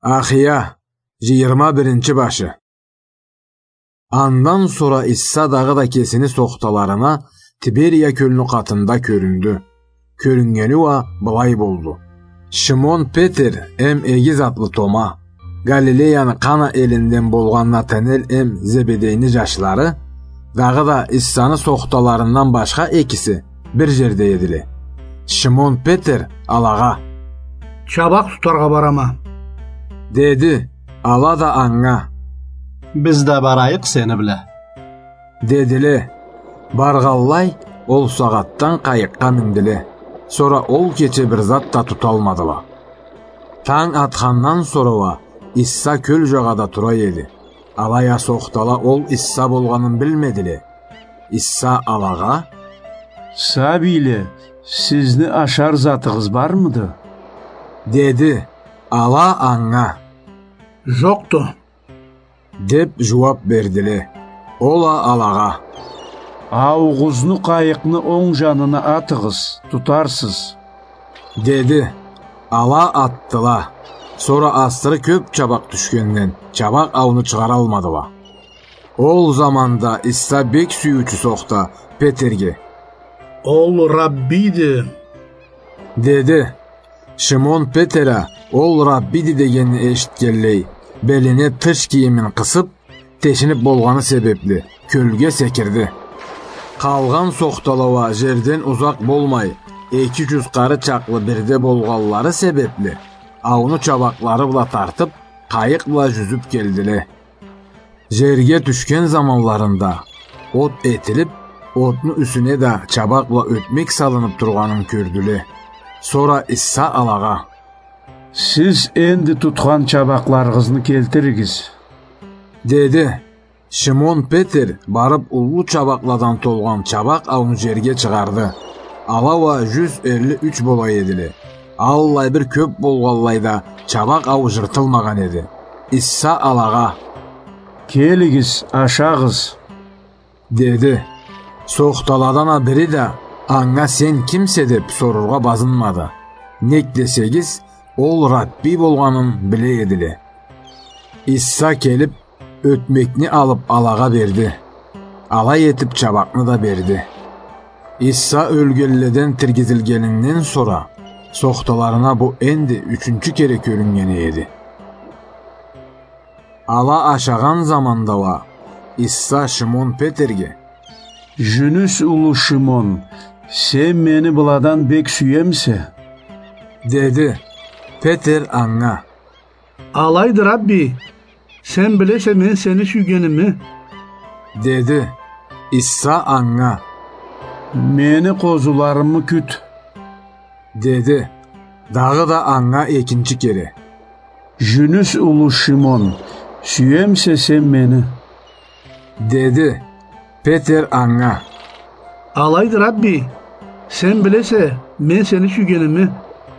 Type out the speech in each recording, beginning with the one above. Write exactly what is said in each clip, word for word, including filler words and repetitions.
Ахия, джыйырма биринчи башы. Андан сора Иса дагъыда кесини сохталарына Тиберия кёлню къатында кёрюндю. Кёрюннгени уа былай болду. Шимон Петер эм Эгиз атлы Тома, Галилеяны Къана элинден болгъан Натанел эм Зебедейни джашлары, дагъыда Исаны сохталарындан башха экиси бир джерде эдиле. Шимон Петер алагъа: «Чабакъ тутаргъа барама», — деди. Ала да анга: «Биз да барайыкъ сени бла», — дедиле. Баргъанлай, ол сагъатдан къайыкъгъа миндиле. Сора ол кече бир зат да туталмадыла. Танг атхандан сора уа Иса кёл джагъада тура эди. Алай а сохтала ол Иса болгъанын билмедиле. Иса алагъа: «Сабийле, сизни ашар затыгъыз бармыды?» — деди. Ала анга: «Джокъду», — деп джууап бердиле. Ол а алагъа: «Аугъузну къайыкъны онг джанына атыгъыз, тутарсыз», — деди. Ала атдыла. Сора асыры кёп чабакъ тюшгенден, чабакъ ауну чыгъаралмадыла. Ол заманда Иса бек сюйюучю сохта Петерге: «Ол Раббийди», — деди. Шимон Петер а ол Раббийди дегенни эшитгенлей, белине тыш кийимин къысып, тешинип болгъаны себепли, кёлге секирди. Къалгъан сохтала уа джерден узакъ болмай, эки джюз къары чакълы бирде болгъанлары себепли, ауну чабакълары бла тартып, къайыкъ бла джюзюп келдиле. Джерге тюшген заманларында от этилип, отну юсюне да чабакъ бла ётмек салынып тургъанын кёрдюле. Сора Иса алагъа: «Сиз энди тутхан чабакъларыгъызны келтиригиз», — деди. Шимон Петер барып уллу чабакъладан толгъан чабакъ ауну джерге чыгъарды. Ала уа джюз элли юч бола эдиле. Аллай бир кёп болгъанлай да, чабакъ ау джыртылмагъан эди. Иса алагъа: «Келигиз, ашагъыз», — деди. Сохталадан а бири да анга: «Сен кимсе?» — деп сорургъа базынмады. Нек десегиз, ол Раббий болгъанын биле эдиле. Иса келип, ётмекни алып, алагъа берди. Алай этип, чабакъны да берди. Иса ёлгенледен тиргизилгенинден сора, сохталарына бу энди ючюнчю кере кёрюннгени эди. Ала ашагъан заманда уа Иса Шимон Петерге: «Жюнюс улу Шимон, сен мени быладан бек сюемисе?» — деди. Петер анга: «Алайды, Рабби, сен билесе мен сени сюйгеними», — деди. Иса анга: «Мени къозуларымы кют», — деди. Дагъыда анга экинчи кере: «Жюнюс улу Шимон, сюемисе сен мени?» — деди. Петер анга: «Алайды, Рабби, сен билесе мен сени сюйгеними»,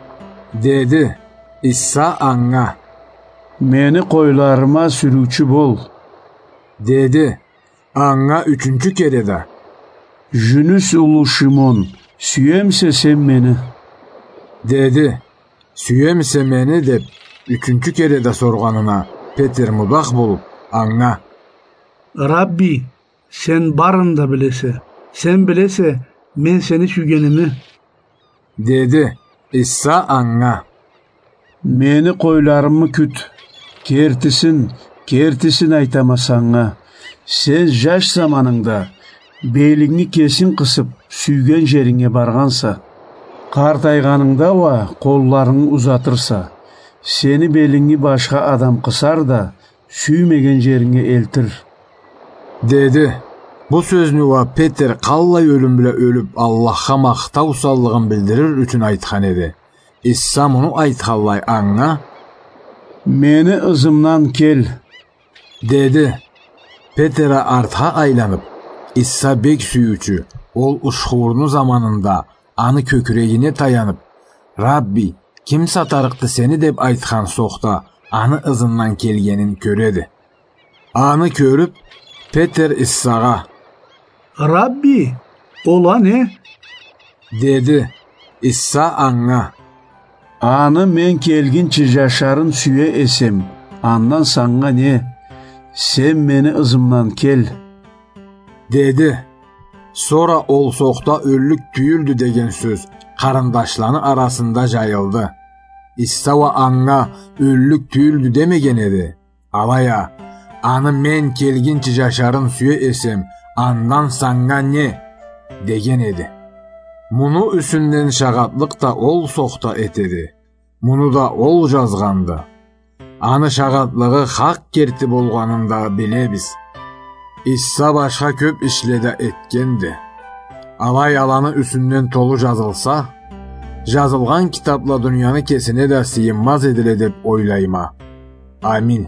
— деди. Иса анга: «Мени къойларыма сюрюучю бол», — деди. Анга ючюнчю кере да: «Жюнюс улу Шимон, сюемисе сен мени?» — деди. «Сюемисе мени?» — деп, ючюнчю кере да соргъанына, Петер мудах болуп, анга: «Рабби, сен барын да билесе, сен билесе мен сени сюйгеними», — деди. Иса анга: «Мени къойларымы кют. Кертисин, кертисин айтама санга. Сен жаш заманынгда белингни кесинг къысып, сюйген жеринге баргъанса. Къартайгъанынгда уа къолларынгы узатырса, сени белингни башха адам къысар да, сюймеген жеринге элтир», — деди. Бу сёзню уа Петер къаллай ёлюм бла ёлюп, Аллахха махтау саллыгъын билдирир ючюн айтхан эди. Иса муну айтханлай анга: «Мени ызымдан кел», — деди. Петер а артха айланып, Иса бек сюйюучю, ол ушхуурну заманында аны кёкюрегине таянып: «Рабби, ким сатарыкъды сени?» — деп айтхан сохта аны ызындан келгенин кёреди. Аны кёрюп, Петер Исагъа: «Рабби, ол а не?» — деди. Иса анга: Аны мен келгинчи жашарын сюе эсем, андан санга не? Сен мени ызымдан кел, деди. Сора ол сохта ёллюк тюйюлдю деген сёз къарындашланы арасында жайылды. Иса уа анга ёллюк тюйюлдю демеген эди. Алай а, аны мен келгинчи жашарын сюе эсем, андан санга не? Деген эди. Муну юсюнден шагъатлыкъ да ол сохта этеди. Муну да ол жазгъанды. Аны шагъатлыгъы хакъ керти болгъанын да билебиз. Иса башха кёп ишле да этгенди. Алай аланы юсюнден толу жазылса, жазылгъан китапла дунияны кесине да сыйынмаз эдиле деп ойлайма. Амин.